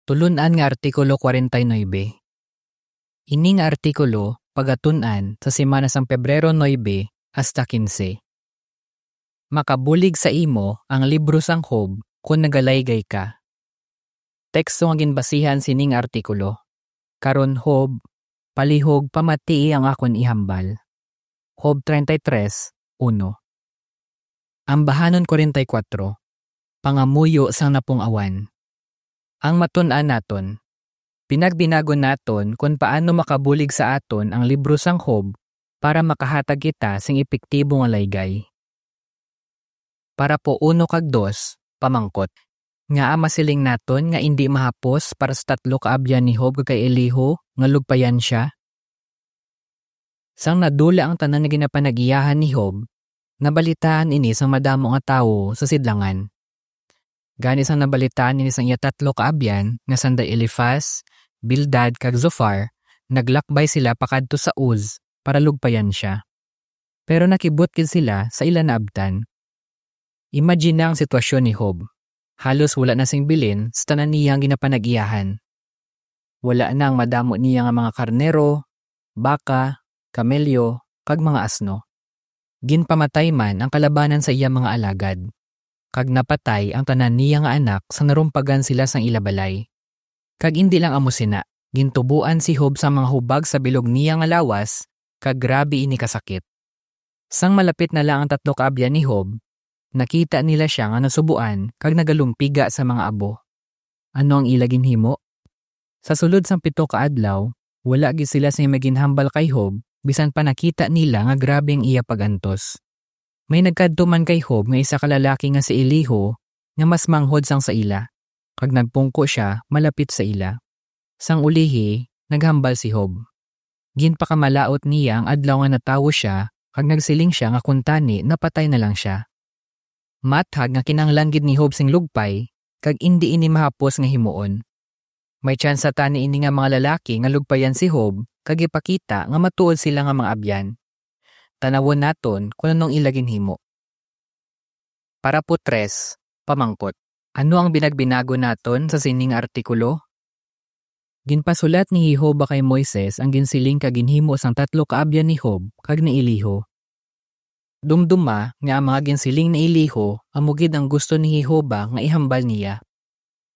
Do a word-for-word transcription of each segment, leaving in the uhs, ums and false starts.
Tulun-an nga Artikulo kwarenta y nuebe. Ini nga artikulo pagatun-an sa semana sang Pebrero nuebe hasta kinse. Makabulig sa imo ang libro sang Job kon nagalaygay ka. Teksto nga ginbasihan sining artikulo. Karon, Job, palihog, pamatii ang akon ihambal. Job treinta y tres, uno. Ambahanon kwarenta y kuwatro, pangamuyo sang napung-awan. Ang matun-an naton, pinagbinagon naton kon paano makabulig sa aton ang libro sang Job para makahatag kita sing epektibo nga laygay. Parapo uno kag dos, pamangkot. Ngaa masiling naton nga indi mahapos para sa tatlo ka abyan ni Job kag kay Elihu nga lugpayan sia? Sang nadula ang tanan nga ginapanag-iyahan ni Job, nabalitaan ini sang madamo nga tawo sa sidlangan. Gani, sang nabalitaan ini sang iya tatlo ka abyan nga sanda Elifaz, Bildad, kag Zophar, naglakbay sila pakadto sa Uz para lugpayan sia. Pero nakibot gid sila sa ila naabtan. Imagina ang sitwasyon ni Job. Halos wala na sing bilin sa tanan niya nga ginapanag-iyahan. Wala na ang madamo niya nga mga karnero, baka, kamelyo, kag mga asno. Ginpamatay man ang kalabanan sa iya mga alagad, kag napatay ang tanan niya nga anak sang narumpagan sila sang ila balay. Kag indi lang amo sina, gintuboan si Job sang mga hubag sa bilog niya nga lawas, kag grabe ini kasakit. Sang malapit na lang ang tatlo ka abyan ni Job, nakita nila sia nga nasubuan kag nagalumpiga sa mga abo. Ano ang ila ginhimo? Sa sulod sang pito ka adlaw, wala gid sila sing maginhambal kay Job, bisan pa nakita nila nga grabe ang iya pag-antos. May nagkadto man kay Job nga isa ka lalaki nga si Elihu, nga mas manghod sang sa ila, kag nagpungko sia malapit sa ila. Sang ulihi, naghambal si Job. Ginpakamalaut niya ang adlaw nga natawo sia, kag nagsiling sia nga kuntani napatay na lang sia. Mathag nga kinahanglan gid ni Job sing lugpay, kag indi ini mahapos nga himuon. May tsansa tani ini nga mga lalaki nga lugpayan si Job kag ipakita nga matuod sila nga mga abyan. Tanawon naton kon anong ila ginhimo. Parapo tres, pamangkot. Ano ang binagbinagon naton sa sining artikulo? Ginpasulat ni Jehovah kay Moises ang ginsiling kag ginhimo sang tatlo ka abyan ni Job kag ni Elihu. Dumduma nga ang mga ginsiling ni Elihu amo gid ang gusto ni Jehovah nga ihambal niya.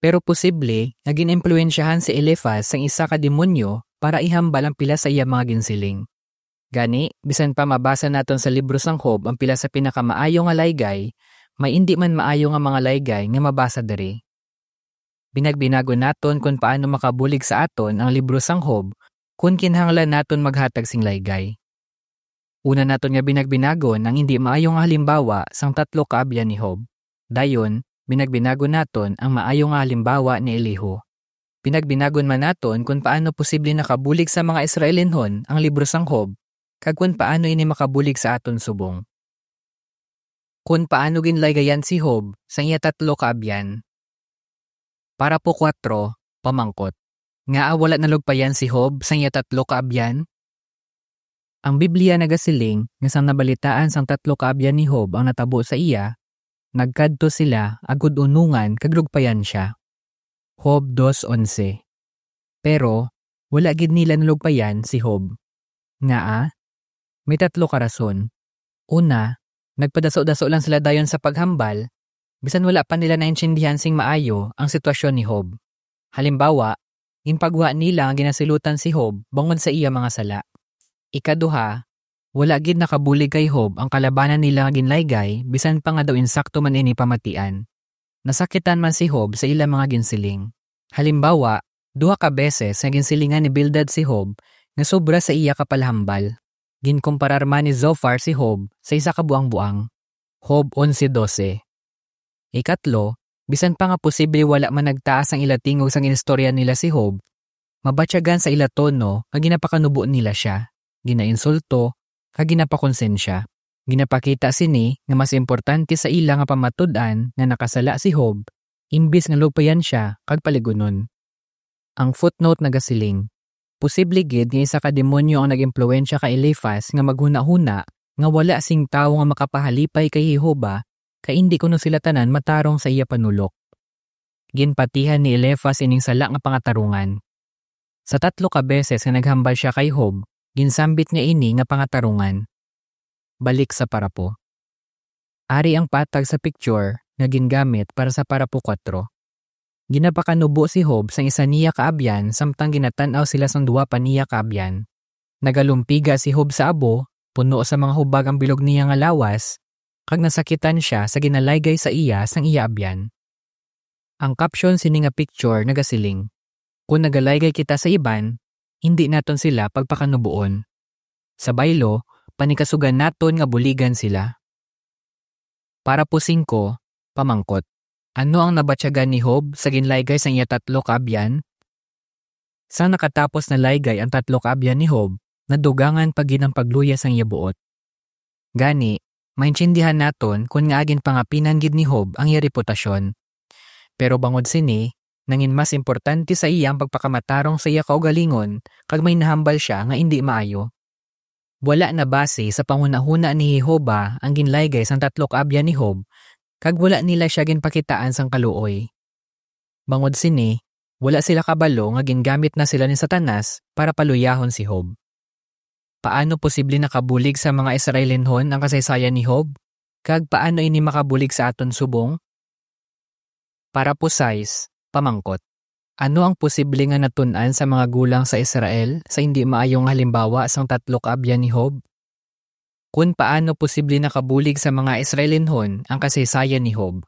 Pero posible nga gin-impluwensyahan si Elifaz sang isa ka demonyo para ihambal ang pila sa iya mga ginsiling. Gani, bisan pa mabasa naton sa libro sang Job ang pila sa pinakamaayo nga laygay, may indi man maayo nga mga laygay nga mabasa diri. Binagbinagon naton kon paano makabulig sa aton ang libro sang Job kon kinahanglan naton maghatag sing laygay. Una naton nga binagbinagon ang indi maayo nga halimbawa sang tatlo ka abyan ni Job. Dayon, binagbinagon naton ang maayo nga halimbawa ni Elihu. Binagbinagon man naton kon paano posible nakabulig sa mga Israelinhon ang libro sang Job, kag kon paano ini makabulig sa aton subong. Kon paano ginlaygayan si Job sang iya tatlo ka abyan. Parapo kuwatro, pamangkot. Ngaa wala nalugpayan si Job sang iya tatlo ka abyan? Ang Biblia nagasiling nga sang nabalitaan sang tatlo ka abyan ni Job ang natabo sa iya, nagkadto sila agud unungan kag lugpayan sia. Job dos onse. Pero wala gid nila nalugpayan si Job. Ngaa? May tatlo ka rason. Una, nagpadaso-daso lang sila dayon sa paghambal, bisan wala pa nila naintindihan sing maayo ang sitwasyon ni Job. Halimbawa, ginpagwa nila nga ginasilutan si Job bangod sa iya mga sala. Ikaduha, wala gid nakabulig kay Job ang kalabanan nila nga ginlaygay, bisan pa nga daw insakto man ini pamatian. Nasakitan man si Job sa ila mga ginsiling. Halimbawa, duha ka beses nga ginsilingan ni Bildad si Job nga sobra sa iya kapalhambal. Ginkumparar man ni Zophar si Job sa isa ka buangboang. Job onse dose. Ikatlo, bisan pa nga posible wala man nagtaas ang ila tingog sang inistorya nila si Job, mabatyagan sa ila tono nga ginapakanubo nila sia, ginainsulto, kag ginapakonsensya. Ginapakita sini nga mas importante sa ila nga pamatud-an nga nakasala si Job, imbis nga lugpayan sia kag paligunon. Ang footnote nagasiling, posible gid nga isa ka demonyo ang nag-impluwensya kay Elifaz nga maghunahuna nga wala sing tawo nga makapahalipay kay Jehovah, kay indi kuno sila tanan matarong sa iya panulok. ginpatihan ni Elifaz ining sala nga pangatarungan. Sa tatlo ka beses nga naghambal sia kay Job, ginsambit niya ini nga pangatarungan. Balik sa parapo. Ari ang patag sa picture nga gingamit para sa parapo kuwatro. Ginapakanubo si Job sang isa niya ka abyan samtang ginatan-aw sila sang duha pa niya ka abyan. Nagalumpiga si Job sa abo, puno sa mga hubag ang bilog niya nga lawas, kag nasakitan sia sa ginalaygay sa iya sang iya abyan. Ang caption sini nga picture nagasiling, "Kon nagalaygay kita sa iban, hindi naton sila pagpakanubuon. Sa baylo, panikasugan naton nga buligan sila." Parapo singko, pamangkot. Ano ang nabatyagan ni Job sa ginlaygay sang iya tatlo ka abyan? Sang nakatapos na laygay ang tatlo ka abyan ni Job, nadugangan pa gid ang pagluya sang iya buot. Gani, maintindihan naton kon ngaa ginpangapinan gid ni Job ang iya reputasyon. Pero bangod sini, nangin mas importante sa iya ang pagpakamatarong sa iya kaugalingon kag may nahambal sia nga indi maayo. Wala na basi sa panghunahuna ni Jehovah ang ginlaygay sang tatlo ka abyan ni Job, kag wala nila sia ginpakitaan sang kaluoy. Bangod sini, wala sila kabalo nga gingamit na sila ni Satanas para paluyahon si Job. Paano posible nakabulig sa mga Israelinhon ang kasaysayan ni Job? Kag paano ini makabulig sa aton subong? Parapo sais, pamangkot. Ano ang posible nga natun-an sa mga gulang sa Israel sa indi maayo nga halimbawa sang tatlo ka abyan ni Job? Kon paano posible nakabulig sa mga Israelinhon ang kasaysayan ni Job?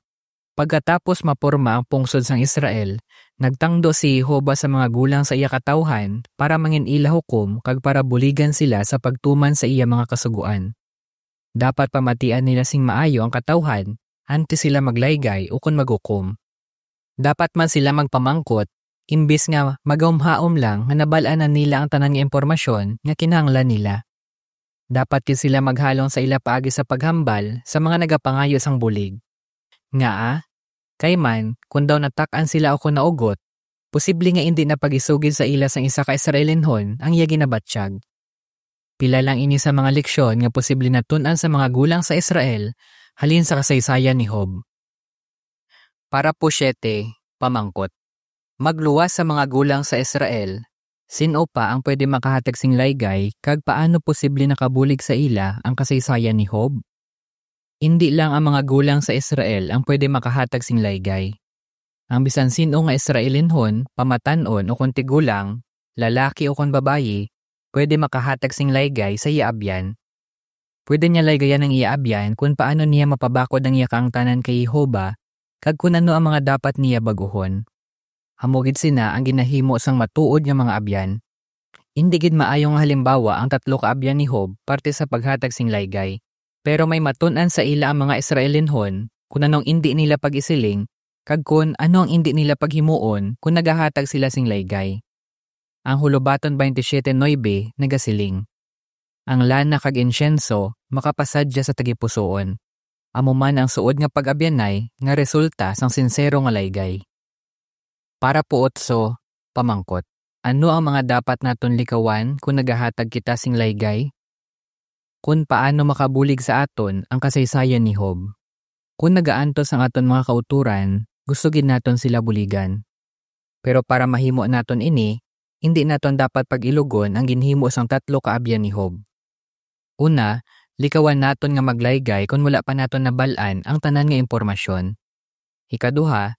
Pagkatapos maporma ang pungsod sang Israel, nagtangdo si Jehovah sa mga gulang sa iya katawuhan para mangin-ila hukom kag para buligan sila sa pagtuman sa iya mga kasugoan. Dapat pamatian nila sing maayo ang katawuhan antes sila maglaygay ukon maghukom. Dapat man sila magpamangkot, imbis nga magahumhaom lang nga nabal-an na nila ang tanan nga impormasyon nga kinahanglan nila. Dapat gid sila maghalong sa ila paagi sa paghambal sa mga nagapangayo sang bulig. Ngaa? Kay man, kon daw natak-an sila ukon naugot, posible nga indi na pag-isugid sa ila sang isa ka Israelinhon ang iya ginabatyag. Pila lang ini sa mga leksyon nga posible natun-an sa mga gulang sa Israel halin sa kasaysayan ni Job. Parapo siete, pamangkot. Magluwas sa mga gulang sa Israel, sin-o pa ang pwede makahatag sing laygay, kag paano posible nakabulig sa ila ang kasaysayan ni Job? Indi lang ang mga gulang sa Israel ang pwede makahatag sing laygay. Ang bisan sin-o nga Israelinhon, pamatan-on ukon tigulang, lalaki ukon babayi, pwede makahatag sing laygay sa iya abyan. Pwede niya laygayan ang iya abyan kon paano niya mapabakod ang iya kaangtanan kay Jehovah kag kon ano ang mga dapat niya bag-ohon. Amo gid sina ang ginahimo sang matuod nga mga abyan. Indi gid maayo nga halimbawa ang tatlo ka abyan ni Job parte sa paghatag sing laygay. Pero may matun-an sa ila ang mga Israelinhon kon anong indi nila pag-isiling kag kon ano ang indi nila paghimuon kon nagahatag sila sing laygay. Ang Hulobaton twenty-seven nuebe nagasiling, "Ang lana kag insyenso makapasadya sa tagipusoon, amo man ang suod nga pag-abyanay nga resulta sang sinsero nga laygay." Parapo otso, pamangkot. Ano ang mga dapat naton likawan kon nagahatag kita sing laygay? Kon paano makabulig sa aton ang kasaysayan ni Job? Kon nagaantos ang aton mga kautoran, gusto gid naton sila buligan. Pero para mahimo naton ini, indi naton dapat pag-ilugon ang ginhimo sang tatlo ka abyan ni Job. Una, likawan naton nga maglaygay kon wala pa naton nabal-an ang tanan nga impormasyon. Ikaduha,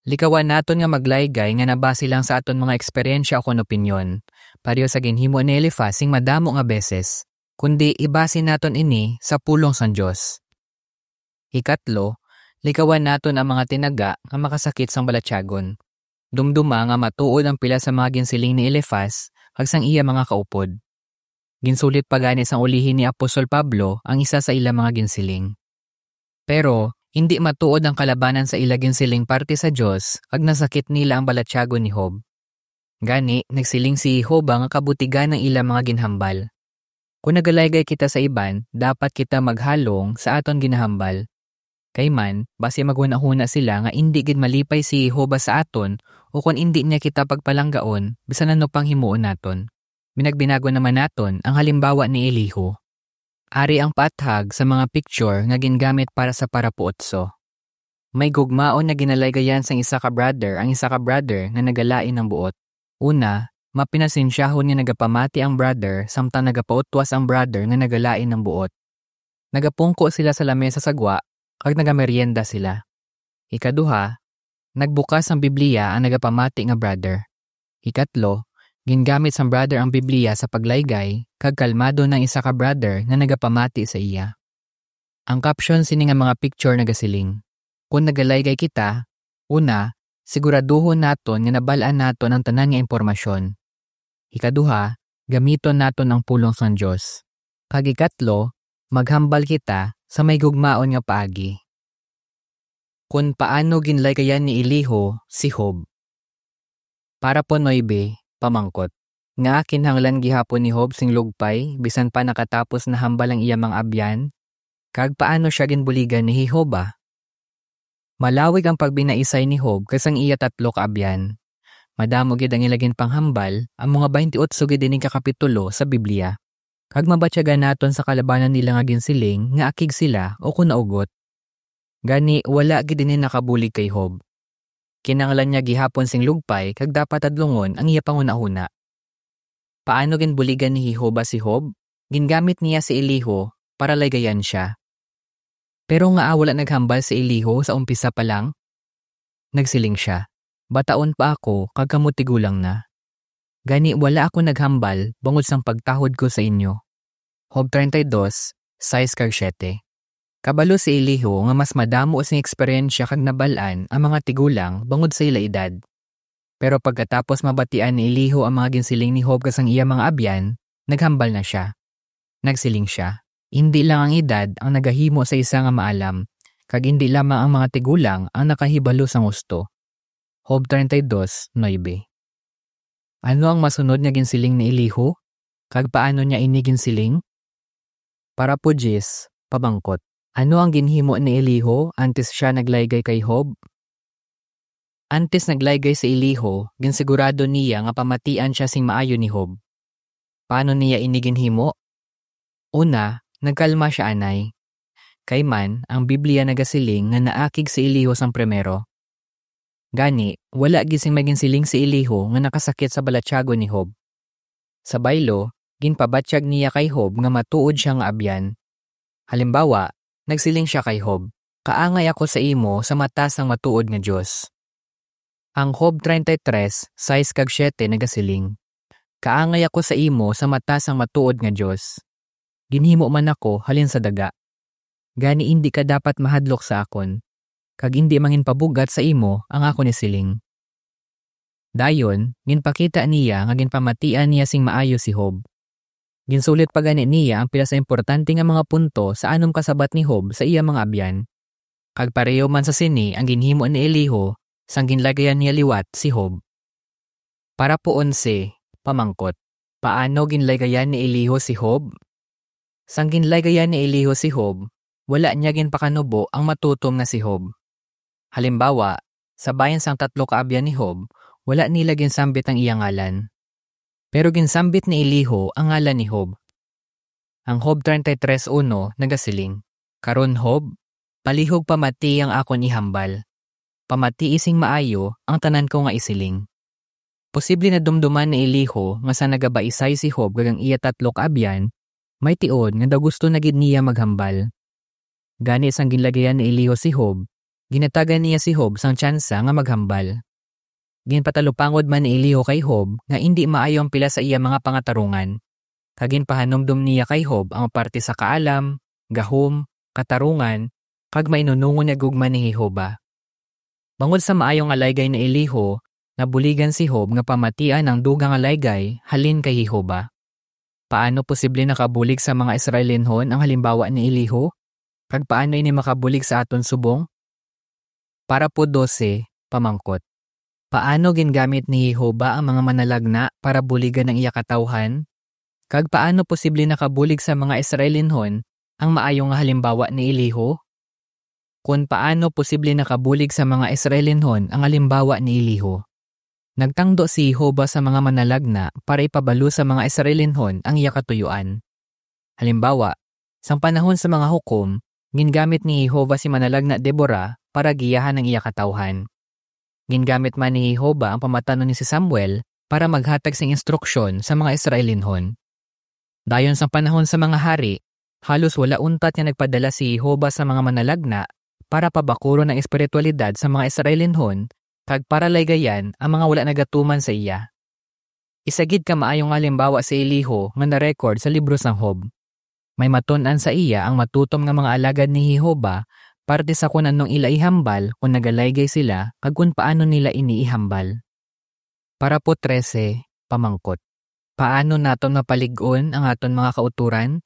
likawan naton nga maglaygay nga nabase lang sa aton mga eksperyensya ukon opinyon, pareho sa ginhimo ni Elifaz sing madamo nga beses, kundi ibase naton ini sa pulong sang Dios. Ikatlo, likawan naton ang mga tinaga nga makasakit sang balatyagon. Dumduma nga matuod ang pila sa mga ginsiling ni Elifaz kag sang iya mga kaupod. Ginsulit pa gani sang ulihi ni Apostol Pablo ang isa sa ila mga ginsiling. Pero, indi matuod ang kalabanan sa ila ginsiling parte sa Dios, kag nasakit nila ang balatyagon ni Job. Gani, nagsiling si Jehovah nga kabutigan ang ila mga ginhambal. Kon nagalaygay kita sa iban, dapat kita maghalong sa aton ginahambal. Kay man, basi maghunahuna sila nga indi gid malipay si Jehovah sa aton, o kon indi niya kita pagpalanggaon, bisan ano pang himuon naton. Binagbinagon naman naton ang halimbawa ni Elihu. Ari ang paathag sa mga picture nga gingamit para sa parapo otso. May gugmaon nga ginalaygayan sang isa ka brother ang isa ka brother nga nagalain ang buot. Una, mapinasensyahon nga nagapamati ang brother samtang nagapautwas ang brother nga nagalain ang buot. Nagapungko sila sa lamesa sa gwa kag nagameryenda sila. Ikaduha, nagbukas ang Biblia ang nagapamati nga brother. Ikatlo, gingamit sang brother ang Biblia sa paglaygay kag kalmado na ang isa ka brother nga nagapamati sa iya. Ang caption sini nga mga picture nagasiling, "Kon nagalaygay kita, una, siguraduhon naton nga nabal-an naton ang tanan nga impormasyon. Ikaduha, gamiton naton ang pulong sang Dios. Kag ikatlo, maghambal kita sa may gugmaon nga paagi." Kon paano ginlaygayan ni Elihu si Job. Parapo nuebe, pamangkot. Ngaa kinahanglan gihapon ni Job sing lugpay bisan pa nakatapos na hambal ang iya mga abyan? Kag paano sia ginbuligan ni Jehovah? Malawig ang pagbinaisay ni Job kag sang iya tatlo ka abyan. Madamo gid ang ila ginpanghambal, ang mga twenty-eight gid ining ka kapitulo sa Biblia. Kag mabatyagan naton sa kalabanan nila nga ginsiling nga akig sila o kon naugot. Gani, wala gid ini nakabulig kay Job. Kinahanglan niya gihapon sing lugpay kag dapat hadlungon ang iya panghunahuna. Paano ginbuligan ni Jehovah si Job? Gingamit niya si Elihu para laygayan sia. Pero ngaa wala naghambal si Elihu sa umpisa pa lang? Nagsiling sia, "Bataon pa ako kag kamo tigulang na. Gani wala ako naghambal bangod sang pagtahod ko sa inyo." Job treinta y dos, sais kag siete. Kabalo si Elihu nga mas madamo sing eksperyensya kag nabal-an ang mga tigulang bangod sa ila edad. Pero pagkatapos mabatian ni Elihu ang mga ginsiling ni Job kag sang iya mga abyan, naghambal na sia. Nagsiling sia, "Indi lang ang edad ang nagahimo sa isa nga maalam, kag indi lamang ang mga tigulang ang nakahibalo sang husto." Job treinta y dos, nuebe. Ano ang masunod nga ginsiling ni Elihu, kag paano niya ini ginsiling? Parapo diyes, pamangkot. Ano ang ginhimo ni Elihu antes sia naglaygay kay Job? Antes naglaygay si Elihu, ginsigurado niya nga pamatian sia sing maayo ni Job. Paano niya ini ginhimo? Una, nagkalma sia anay. Kay man, ang Biblia nagasiling nga naakig si Elihu sang primero. Gani, wala gid sing may ginsiling si Elihu nga nakasakit sa balatyagon ni Job. Sa baylo, ginpabatyag niya kay Job nga matuod sia nga abyan. Halimbawa, nagsiling sia kay Job, "Kaangay ako sa imo sa mata sang matuod nga Dios." Ang Job treinta y tres, sais kag siete nagasiling, "Kaangay ako sa imo sa mata sang matuod nga Dios. Ginhimo man ako halin sa daga. Gani indi ka dapat mahadlok sa akon, kag indi manginpabugat sa imo ang akon isiling." Dayon, ginpakita niya nga ginpamatian niya sing maayo si Job. Ginsulit pa gani niya ang pila sa importante nga mga punto sa anom ka sabat ni Job sa iya mga abyan. Kag pareho man sa sini ang ginhimo ni Elihu sang ginlaygayan niya liwat si Job. Parapo onse, pamangkot. Paano ginlaygayan ni Elihu si Job? Sang ginlaygayan ni Elihu si Job, wala niya ginpakanubo ang matutom nga si Job. Halimbawa, sa bahin sang tatlo ka abyan ni Job, wala nila ginsambit ang iya ngalan. Pero ginsambit ni Elihu ang ngalan ni Job. Ang Job treinta y tres uno nagasiling, "Karon, Job, palihog pamati ang akon ihambal. Pamatii sing maayo ang tanan ko nga isiling." Posible nadumduman ni Elihu nga sa nagabaisay si Job kag ang iya tatlo ka abyan, may tion nga daw gusto na gid niya maghambal. Gani, sang ginlaygayan ni Elihu si Job, ginatagan niya si Job sang tsansa nga maghambal. Ginpatalupangod man ni Elihu kay Job nga indi maayo ang pila sa iya mga pangatarungan, kag ginpahanumdom niya kay Job ang parte sa kaalam, gahom, katarungan, kag mainunungon nga gugma ni Jehovah. Bangod sa maayo nga laygay ni Elihu, nabuligan si Job nga pamatian ang dugang nga laygay halin kay Jehovah. Paano posible nakabulig sa mga Israelinhon ang halimbawa ni Elihu? Kag paano ini makabulig sa aton subong? Parapo dose, pamangkot. Paano gingamit ni Jehovah ang mga manalagna para buligan ang iya katawhan? Kag paano posible nakabulig sa mga Israelinhon ang maayo nga halimbawa ni Elihu? Kon paano posible nakabulig sa mga Israelinhon ang halimbawa ni Elihu? Nagtangdo si Jehovah sa mga manalagna para ipabalo sa mga Israelinhon ang iya katuyuan. Halimbawa, sang panahon sa mga hukom, gingamit ni Jehovah si manalagna Deborah para giyahan ang iya katawhan. Gingamit man ni Jehovah ang pamatanon ni si Samuel para maghatag sing instruksyon sa mga Israelinhon. Dayon sang panahon sa mga hari, halos wala untat nga nagpadala si Jehovah sa mga manalagna para pabakuron ang espiritualidad sa mga Israelinhon kag para laygayan ang mga wala nagatuman sa iya. Isa gid ka maayo nga halimbawa si Elihu nga na-record sa libro sang Job. May matun-an sa iya ang matutom nga mga alagad ni Jehovah parte sa kon anong ila ihambal kon nagalaygay sila kag kon paano nila ini ihambal. Parapo trese, pamangkot. Paano naton mapalig-on ang aton mga kautoran?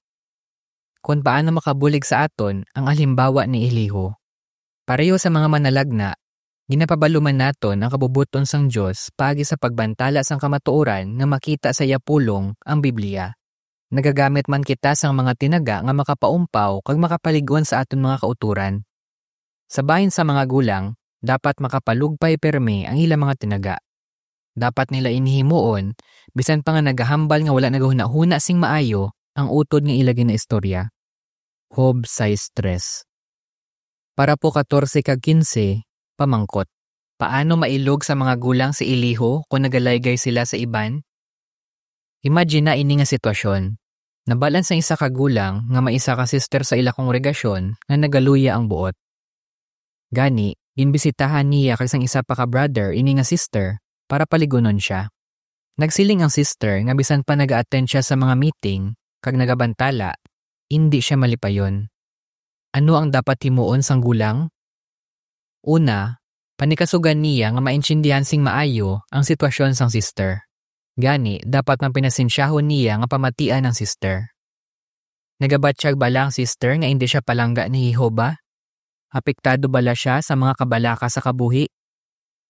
Kon paano makabulig sa aton ang halimbawa ni Elihu? Pareho sa mga manalagna, ginapabalo man naton ang kabubot-on sang Dios paagi sa pagbantala sang kamatuoran nga makita sa iya pulong, ang Biblia. Nagagamit man kita sang mga tinaga nga makapaumpaw kag makapalig-on sa aton mga kautoran. Sa bahin sa mga gulang, dapat makapalugpay pirme ang ila mga tinaga. Dapat nila ini himuon, bisan pa nga nagahambal nga wala nagahunahuna sing maayo ang utod nga ila ginaistorya. Job sais tres. Parapo katorse kag kinse, pamangkot. Paano mailog sa mga gulang si Elihu kon nagalaygay sila sa iban? Imagine na ini nga sitwasyon. Nabal-an sang isa ka gulang nga may isa ka sister sa ila kongregasyon nga nagaluya ang buot. Gani, ginbisitahan niya kag sang isa pa ka brother ini nga sister para paligunon sia. Nagsiling ang sister nga bisan pa naga-attend sia sa mga meeting kag nagabantala, indi sia malipayon. Ano ang dapat himuon sang gulang? Una, panikasugan niya nga maintindihan sing maayo ang sitwasyon sang sister. Gani, dapat man pinasensyahon niya nga pamatian ang sister. Nagabatyag bala ang sister nga indi sia palangga ni Jehovah? Apektado bala sia sa mga kabalaka sa kabuhi?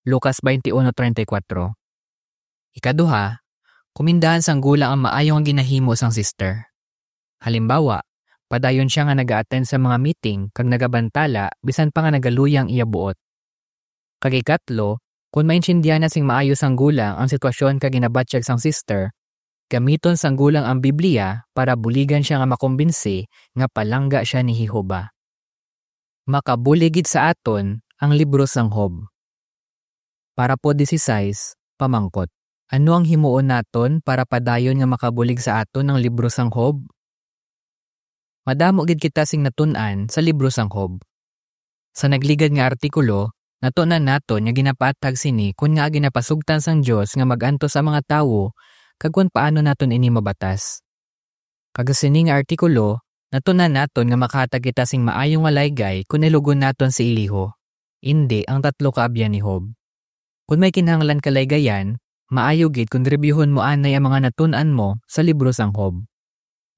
Lucas twenty-one treinta y cuatro. Ikaduha, kumindahan sang gulang ang maayo nga ginahimo sang sister. Halimbawa, padayon sia nga naga-attend sa mga meeting kag nagabantala bisan pa nga nagaluya ang iya buot. Kag ikatlo, kon maintindihan na sing maayo sang gulang ang sitwasyon kag ginabatyag sang sister, gamiton sang gulang ang Biblia para buligan sia nga makumbinsi nga palangga sia ni Jehovah. Makabulig gid sa aton ang libro sang Job. Parapo dieciséis, pamangkot. Ano ang himuon naton para padayon nga makabulig sa aton ang libro sang Job? Madamo gid kita sing natun-an sa libro sang Job. Sa nagligad nga artikulo, natun-an naton nga ginapaathag sini kon ngaa ginapasugtan sang Dios nga mag-antos ang mga tawo kag kon paano naton ini mabatas. Kag sa sini nga artikulo, natun-an naton nga makahatag kita sing maayo nga laygay kon ilugon naton si Elihu, indi ang tatlo ka abyan ni Job. Kon may kinahanglan ka laygayan, maayo gid kon rebyuhon mo anay ang mga natun-an mo sa libro sang Job.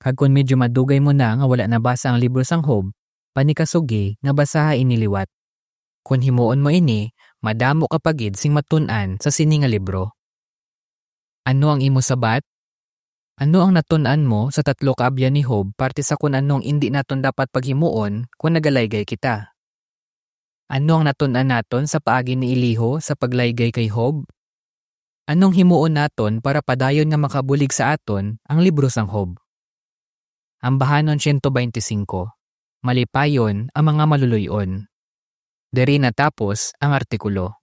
Kag kon medyo madugay mo na nga wala nabasa ang libro sang Job, panikasugi nga basaha ini liwat. Kon himuon mo ini, madamo ka pa gid sing matun-an sa sini nga libro. Ano ang imo sabat? Ano ang natun-an mo sa tatlo ka abyan ni Job parte sa kon ano ang indi naton dapat paghimuon kon nagalaygay kita? Ano ang natun-an naton sa paagi ni Elihu sa paglaygay kay Job? Anong himuon naton para padayon nga makabulig sa aton ang libro sang Job? Ambahanon siyento bente singko. Malipayon ang mga maluloy-on. Diri natapos ang artikulo.